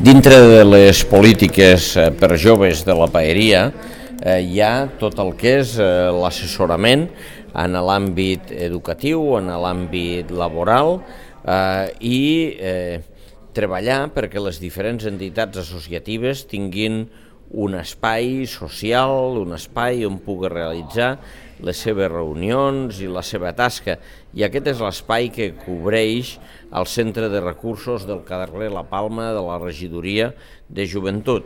Dintre de les polítiques per joves de la paeria hi ha tot el que és l'assessorament en l'àmbit educatiu, en l'àmbit laboral i treballar perquè les diferents entitats associatives tinguin un espai social, un espai on pugui realitzar les seves reunions i la seva tasca. I aquest és l'espai que cobreix el Centre de Recursos del carrer La Palma de la Regidoria de Joventut.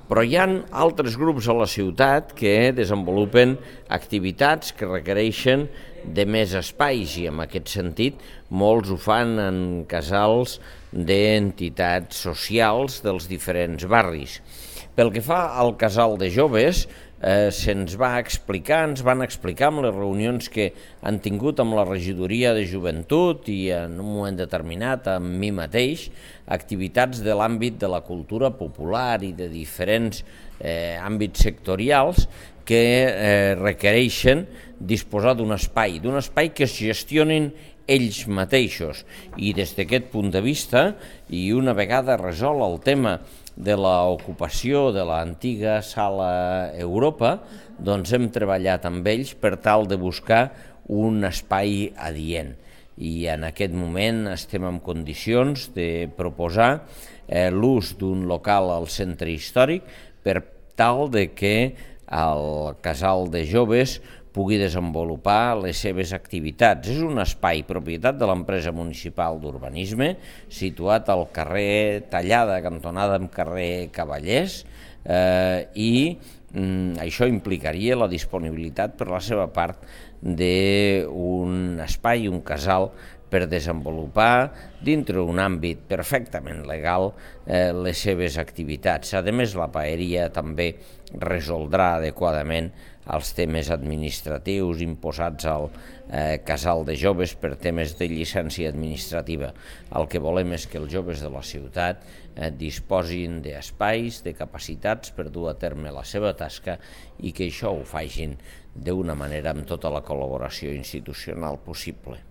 Però hi ha altres grups a la ciutat que desenvolupen activitats que requereixen de més espais i en aquest sentit molts ho fan en casals d'entitats socials dels diferents barris. Pel que fa al casal de joves, se'ns va explicar, ens van explicar en les reunions que han tingut amb la regidoria de joventut i en un moment determinat amb mi mateix, activitats de l'àmbit de la cultura popular i de diferents àmbits sectorials que requereixen disposar d'un espai que es gestionin ells mateixos. I des d'aquest punt de vista, i una vegada resolt el tema de l'ocupació de l'antiga Sala Europa, doncs hem treballat amb ells per tal de buscar un espai adient. I en aquest moment estem en condicions de proposar l'ús d'un local al centre històric per tal de que el casal de joves pugui desenvolupar les seves activitats. És un espai propietat de l'empresa municipal d'urbanisme, situat al carrer Tallada, cantonada amb carrer Cavallers, i això implicaria la disponibilitat per la seva part d'un espai, un casal, per desenvolupar dintre un àmbit perfectament legal les seves activitats. A més, la paeria també resoldrà adequadament els temes administratius imposats al casal de joves per temes de llicència administrativa. El que volem és que els joves de la ciutat disposin d'espais, de capacitats per dur a terme la seva tasca i que això ho facin d'una manera amb tota la col·laboració institucional possible.